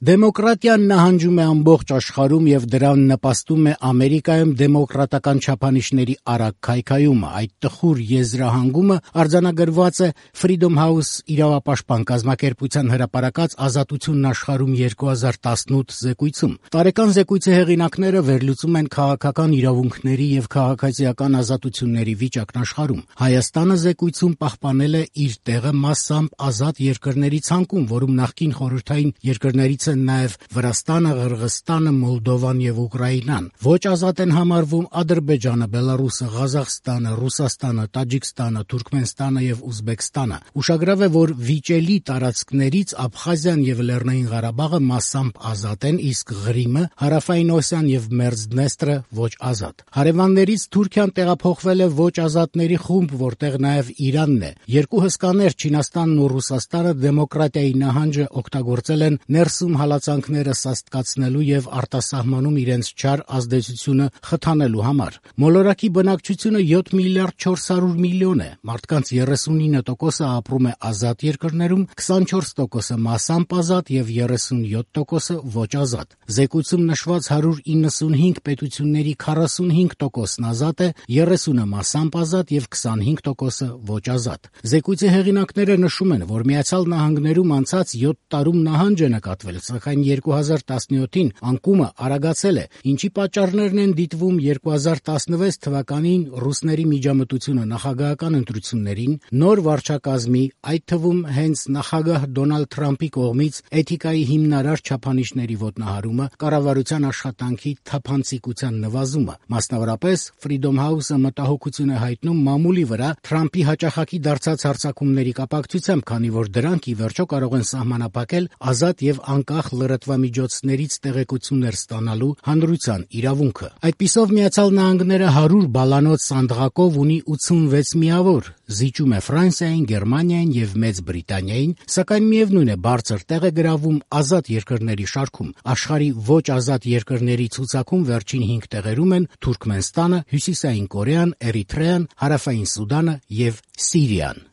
Դեմոկրատիան նահանջում է ամբողջ աշխարհում եւ դրան նպաստում է Ամերիկայում դեմոկրատական չափանիշների արագ քայքայումը։ Այդ տխուր եզրահանգումը արձանագրված է Freedom House իրավապաշտպան կազմակերպության հրապարակած «Ազատությունն աշխարհում 2018» զեկույցում։ Տարեկան զեկույցի հեղինակները վերլուծում են քաղաքական իրավունքների եւ քաղաքացիական ազատությունների վիճակն աշխարհում։ Հայաստանը զեկույցում պահպանել է իր տեղը մասամբ ազատ երկրների ցանկում, որում նախկին խորհրդային երկրներից են նաև Վրաստանը, Ղրղըզստանը, Մոլդովան եւ Ուկրաինան։ Ոչ ազատ են համարվում Ադրբեջանը, Բելարուսը, Ղազախստանը, Ռուսաստանը, Տաջիկստանը, Թուրքմենստանը եւ Ուզբեկստանը։ Ուշագրավ է, որ վիճելի տարածքներից Աբխազիան եւ Լեռնային Ղարաբաղը մասամբ ազատ են, իսկ Ղրիմը, Հարավային Օսիան եւ Մերձդնեստրը ոչ ազատ։ Հարևաններից Թուրքիան տեղափոխվել է ոչ ազատների խումբ, որտեղ նաև Իրանն է։ Երկու հսկաներ Չինաստանն ու Ռուսաստանը դեմոկրատիայի նահանջը օգտագործել են ներսում հալածանքները սաստկացնելու եւ արտասահմանում իրենց չար ազդեցությունը խթանելու համար։ Մոլորակի բնակչությունը 7 միլիարդ 400 միլիոն է։ Մարդկանց 39%-ը ապրում է ազատ երկրներում, 24%-ը մասամբ ազատ եւ 37%-ը ոչ ազատ։ Զեկույցում նշված 195 պետությունների 45%-ն ազատ է, 30-ը մասամբ ազատ եւ 25%-ը ոչ ազատ։ Զեկույցի հեղինակները նշում են, որ Միացյալ Նահանգներում անցած 7 տարում նահանջ է նկատվել, սակայն 2017-ին անկումը արագացել է, ինչի պատճառներն են դիտվում 2016 թվականին ռուսների միջամտությունը նախագահական ընտրություններին, նոր վարչակազմի, այդ թվում հենց նախագահ Դոնալդ Թրամփի կողմից էթիկայի հիմնարար չափանիշների ոտնահարումը, կառավարության աշխատանքի թափանցիկության նվազումը։ Մասնավորապես Freedom House-ը մտահոգություն է հայտնում մամուլի վրա Թրամփի հաճախակի դարձած հարձակումների կապակցությամբ, քանի որ դրանք ի վերջո կարող են սահմանափակել ազատ եւ անկախ լրատվամիջոցներից տեղեկություններ ստանալու հանրության իրավունքը։ Այդպիսով Միացյալ Նահանգները 100 բալանոց սանդղակով ունի 86 միավոր, զիջում է Ֆրանսիային, Գերմանիային եւ Մեծ Բրիտանիային, սակայն միևնույն է բարձր տեղ է գրավում ազատ երկրների շարքում։ Աշխարհի ոչ ազատ երկրների ցուցակում վերջին 5 տեղերում են Թուրքմենստանը, Հյուսիսային Կորեան, Էրիթրեան, Հարավային Սուդանը եւ Սիրիան։